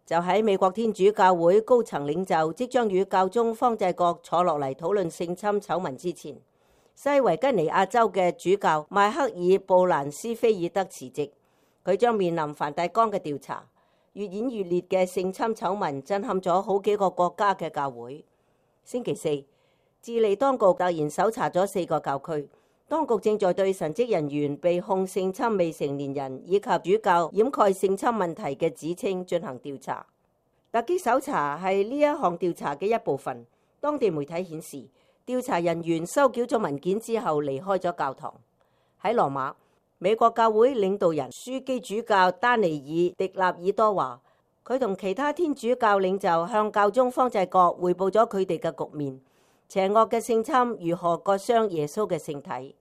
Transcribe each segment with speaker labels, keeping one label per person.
Speaker 1: 就喺美國天主教會高層領袖即將與教宗方濟各坐落嚟討論性侵醜聞之前，西維吉尼亞州嘅主教邁克爾布蘭斯菲爾德辭職，佢將面臨梵蒂岡嘅調查。越演越烈嘅性侵醜聞震撼咗好幾個國家嘅教會。星期四，智利當局突然搜查咗4個教區，當局正在對神職人員被控性侵未成年人以及主教掩蓋性侵問題嘅指稱進行調查。突擊搜查係呢一項調查嘅一部分。當地媒體顯示，調查人員收繳咗文件之後離開咗教堂。喺羅馬，美國教會領導人樞機主教丹尼爾·迪納爾多話，佢同其他天主教領袖向教宗方濟各匯報咗佢哋嘅局面，邪惡嘅性侵如何割傷耶穌嘅聖體。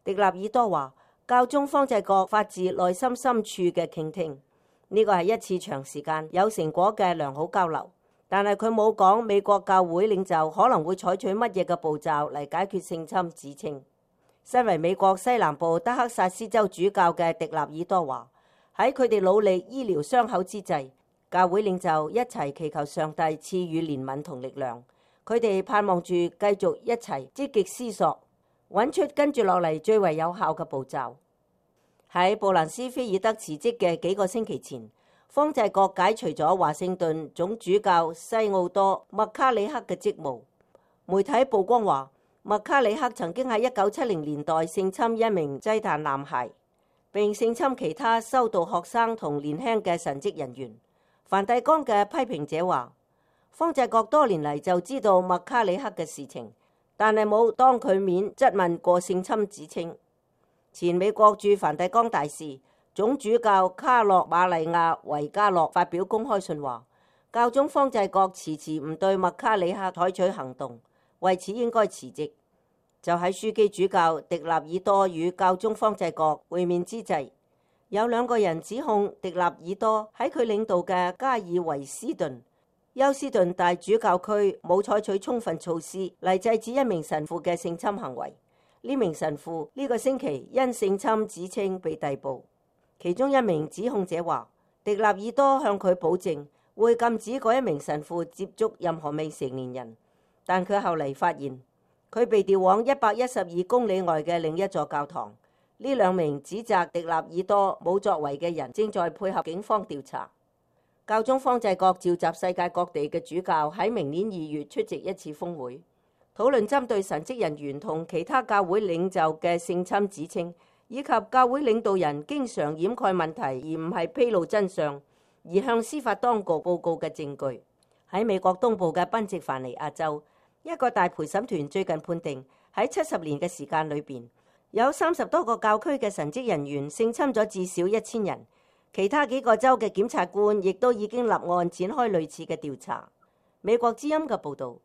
Speaker 1: 迪納爾多話，教宗方濟各發自內心深處嘅傾聽，呢個係一次長時間有成果嘅良好交流，但係佢冇講美國教會領袖可能會採取乜嘢嘅步驟嚟解決性侵指稱。身為美國西南部德克薩斯州主教嘅迪納爾多話，喺佢哋努力醫療傷口之際，教會領袖一齊祈求上帝賜予憐憫同力量。佢哋盼望住繼續一齊積極思索，揾出跟住落嚟最為有效嘅步驟。喺布蘭斯菲爾德辭職嘅幾個星期前，方濟各解除咗華盛頓總主教西奧多麥卡里克嘅職務。媒體曝光話，麥卡里克曾經喺1970年代性侵一名祭壇男孩，並性侵其他修道學生同年輕嘅神職人員。梵蒂岡嘅批評者話，方濟各多年嚟就知道麥卡里克嘅事情，但係冇當佢面質問過性侵指稱。前美國駐梵蒂岡大使總主教卡洛馬利亞維加洛發表公開信話，教宗方濟各遲遲唔對麥卡里克採取行動，為此應該辭職。就喺樞機主教迪納爾多與教宗方濟各會面之際，有2個人指控迪納爾多喺佢領導嘅加爾維斯頓休斯頓大主教區冇採取充分措施嚟制止一名神父嘅性侵行為。呢名神父呢個星期因性侵指稱被逮捕。其中一名指控者話，迪納爾多向佢保證會禁止嗰一名神父接觸任何未成年人，但佢後嚟發現佢被調往112公里外嘅另一座教堂。呢2名指責迪納爾多冇作為嘅人正在配合警方調查。教宗方濟各召集世界各地嘅主教喺明年2月出席一次峰會，討論針對神職人員同其他教會領袖嘅性侵指稱，以及教會領導人經常掩蓋問題而唔係披露真相，而向司法當局報告嘅證據。喺美國東部嘅賓夕凡尼亞州，一個大陪審團最近判定喺70年嘅時間裏邊，有30多個教區嘅神職人員性侵咗至少1000人。其他幾個州嘅檢察官亦都已經立案展開類似嘅調查。美國之音嘅報導。